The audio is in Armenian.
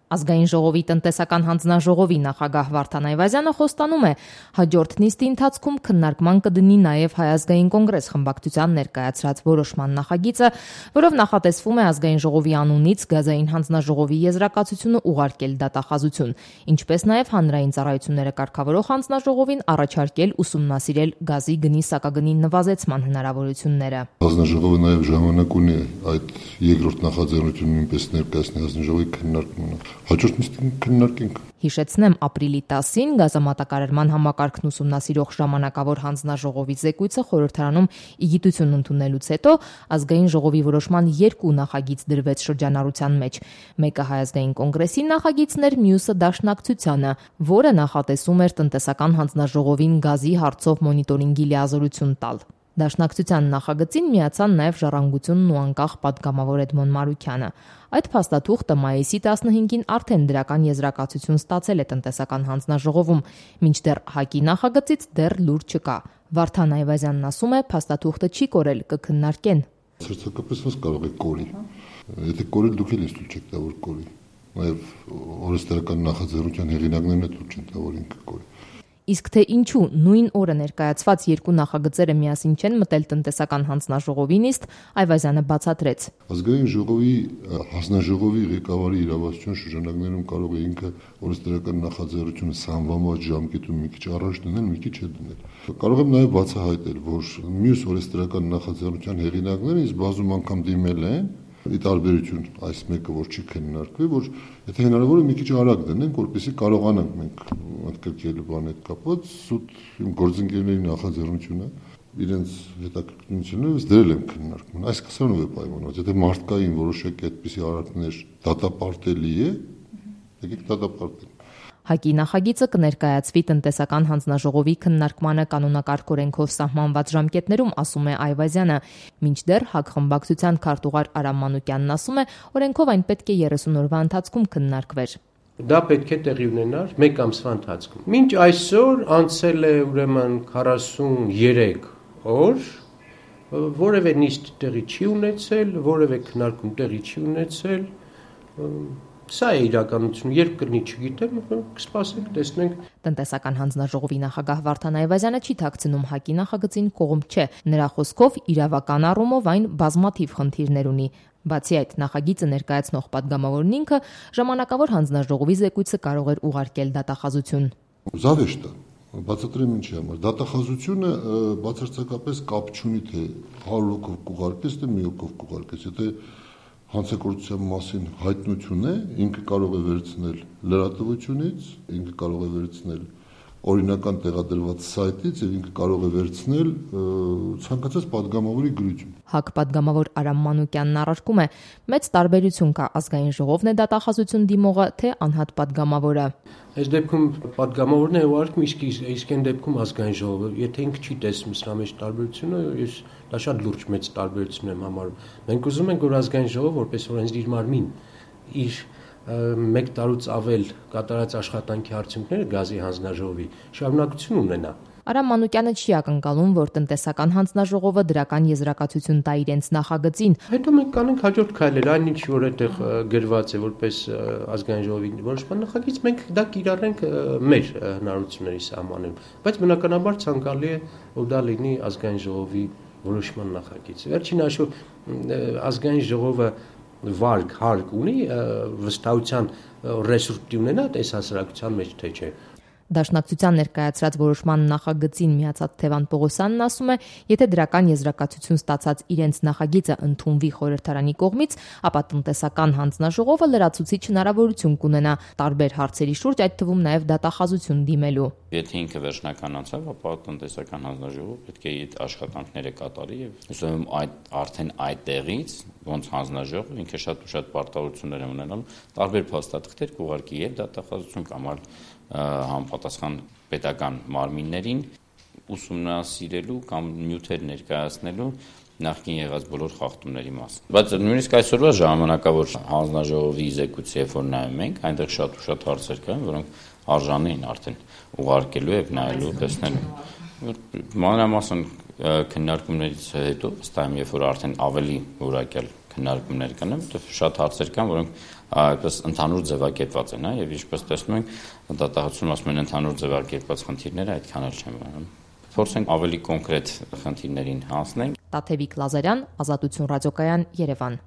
Ազգային ժողովի տնտեսական հանձնաժողովի նախագահ Վարդան Այվազյանը խոստանում է, հաջորդ նիստի ընթացքում քննարկման կդնի նաև Հայ ազգային կոնգրես խմբակցության ներկայացրած որոշման նախագիծը, որով նախատեսվում է ազգային ժողովի անունից գազային հանձնաժողովի եզրակացությունը ուղարկել դատախազություն, ինչպես նաև հանրային ծառայությունները կարգավորող հանձնաժողովին առաջարկել ուսումնասիրել գազի գնի սակագնի նվազեցման հնարավորությունները։ Հանձնաժողովը նաև ժամանակ ունի այդ երկրորդ նախաձեռնությունը նույնպես ներկայացնել հանձնաժողովի քննարկմանը։ Հաջորդ նիստին քննարկենք։ Հիշեցնեմ, ապրիլի 10-ին գազամատակարարման համակարգն ուսումնասիրող ժամանակավոր հանձնաժողովի զեկույցը խորհրդարանում իգիտություն ընդունելուց հետո ազգային ժողովի որոշման 2 նախագիծ դրվեց շրջանառության մեջ։ Մեկը Հայ ազգային կոնգրեսի նախագիծն էր, մյուսը Դաշնակցությանը, որը նախատեսում էր տնտեսական հանձնաժողովին գազի հարցով մոնիտորինգի լիազորություն տալ։ Դաշնակցության նախագծին միացան նաև Ժառանգությունն ու անկախ պատգամավոր Էդմոն Մարուքյանը։ Այդ փաստաթուղթը մայիսի 15-ին արդեն դրական եզրակացություն ստացել է տնտեսական հանձնաժողովում, մինչդեռ ՀԱԿ-ի նախագծից դեռ լուր չկա։ Վարդան Այվազյանն ասում է, փաստաթուղթը չի կորել, կքննարկեն։ Սրտակապես ոնց կարող է կորի։ Եթե կորել դուք էլ ինձ չեք տա որ կորի։ Նաև օրենսդրական նախաձեռնության հեղինակներն էլ չեն տա որ ինքը կորի։ Իսկ թե ինչու նույն օրը ներկայացված 2 նախագծերը միասին չեն մտել տնտեսական հանձնաժողովի նիստ, Այվազյանը բացատրեց։ Ազգային ժողովի հանձնաժողովի ղեկավարի իրավասության շրջանակներում կարող է ինքը օրենսդրական նախաձեռնությունը սահմանված ժամկետում մի քիչ առաջ դնել, մի քիչ հետ դնել։ Կարող եմ նաև բացահայտել, որ մյուս օրենսդրական նախաձեռնության հեղինակները ինձ բազում անգամ դիմել են ի տարբերություն այս մեկը, որ չի քննարկվի, որ եթե հնարավոր է մի քիչ արագ դնենք, որպեսզի կարողանանք մենք ընդգրկել բան հետ կապված, սուտ իմ գործընկերների նախաձեռնությունը իրենց հետաքրքրությունից դրել եմ քննարկման։ Այս կսանով է պայմանված, եթե մարդկային որոշակի այդպիսի արարքներ դատապարտելի է, եկեք դատապարտենք։ ՀԱԿ-ի նախագիծը կներկայացվի տնտեսական հանձնաժողովի քննարկմանը կանոնակարգ օրենքով սահմանված ժամկետներում, ասում է Այվազյանը, մինչդեռ ՀԱԿ խմբակցության քարտուղար Արամ Մանուկյանն ասում է, օրենքով այն պետք է 30 օրվա ընթացքում քննարկվեր։ Դա պետք է տեղի ունենար 1 ամսվա ընթացքում։ Մինչ այսօր անցել է ուրեմն 43 օր, որևէ նիստ տեղի չի ունեցել, որևէ քննարկում տեղի չի ունեցել։ Սա է իրականությունը, երբ կլինի չգիտեմ, կսպասենք, տեսնենք։ Տնտեսական հանձնաժողովի նախագահ Վարդան Այվազյանը չի թաքցնում ՀԱԿ-ի նախագծին կողմ չէ։ Նրա խոսքով իրավական առումով այն բազմաթիվ խնդիրներ ունի։ Բացի այդ, նախագիծը ներկայացնող պատգամավորն ինքը ժամանակավոր հանձնաժողովի զեկույցը կարող էր ուղարկել դատախազություն։ Զավեշտ է, բացատրեմ ինչի համար։ Դատախազությունը բացարձակապես կապ չունի, թե 100 հոգով կուղարկես, թե 1 հոգով կուղարկես։ Եթե հանցագործության մասին հայտնություն է, ինքը կարող է վերցնել լրատվությունից, ինքը կարող է վերցնել օրինական տեղադրված սայթից եւ ինքը կարող է վերցնել ցանկացած падգամավորի գրություն։ ՀԱԿ падգամավոր Արամ Մանուկյանն առարկում է, մեծ տարբերություն կա ազգային ժողովն է դատախազություն դիմողը, թե անհատ падգամավորը։ Այս դեպքում падգամավորն է ուղարկում, իսկ այն դեպքում ազգային ժողովը, եթե ինքը չի տեսնում սրա մեջ տարբերությունը, ես դա շատ լուրջ մեծ տարբերություն եմ համարում։ Մենք ուզում ենք, որ ազգային ժողովը որպես օրենսդիր մարմին իր 1 տարուց ավել կատարած աշխատանքի արդյունքները գազի հանձնաժողովի շարունակություն ունենա։ Արամ Մանուկյանը չի ակնկալում, որ տնտեսական հանձնաժողովը դրական եզրակացություն տա իրենց նախագծին։ Հետո մենք կանենք հաջորդ քայլեր, այն ինչ որ այդտեղ գրված է որպես ազգային ժողովի որոշման նախագիծ, մենք դա կիրառենք մեր հնարավորությունների սահմաններում, բայց բնականաբար ցանկալի է, որ դա լինի ազգային ժողովի որոշման նախագիծ։ Վերջին հաշվով ազգային ժողովը հարկ ունի վստահության ռեսուրս ունենա այս հասարակության մեջ թե չէ։ Դաշնակցության ներկայացրած որոշման նախագծին միացած Թևան Պողոսյանն ասում է, եթե դրական եզրակացություն ստացած իրենց նախագիծը ընդունվի խորհրդարանի կողմից, ապա տնտեսական հանձնաժողովը լրացուցիչ հնարավորություն կունենա տարբեր հարցերի շուրջ, այդ թվում նաև դատախազություն դիմելու։ Եթե ինքը վերջնականացավ, ապա տնտեսական հանձնաժողովը պետք է այդ աշխատանքները կատարի եւ ուսում արդեն այդտեղից ոնց հանձնաժողովը ինքը շատ պարտավորություններ է ունենալու, տարբեր փաստաթղթեր կուղարկի եւ դատախազություն կամ համապատասխան պետական մարմիններին ուսումնասիրելու կամ նյութեր ներկայացնելու նախկին եղած բոլոր խախտումների մասին։ Բայց նույնիսկ այսօրվա ժամանակավոր հանձնաժողովի զեկույցը, երբ որ նայում ենք, այնտեղ շատ հարցեր կան, որոնք արժանի են արդեն ուղարկելու եւ նայելու, տեսնելու։ Մանրամասն քննարկումներից հետո, ըստ այմ, երբ որ արդեն ավելի որակյալ քննարկումներ կանեմ, որովհետև շատ հարցեր կան, որոնք այդպես ընդհանուր ձևակերպված են, եւ ինչպես տեսնում ենք, դատախազությունում ասում են ընդհանուր ձևակերպված խնդիրները այդքան էլ չեն բանում։ Փորձենք ավելի կոնկրետ խնդիրներին հասնենք։ Տաթևիկ Լազարյան, Ազատություն ռադիոկայան, Երևան։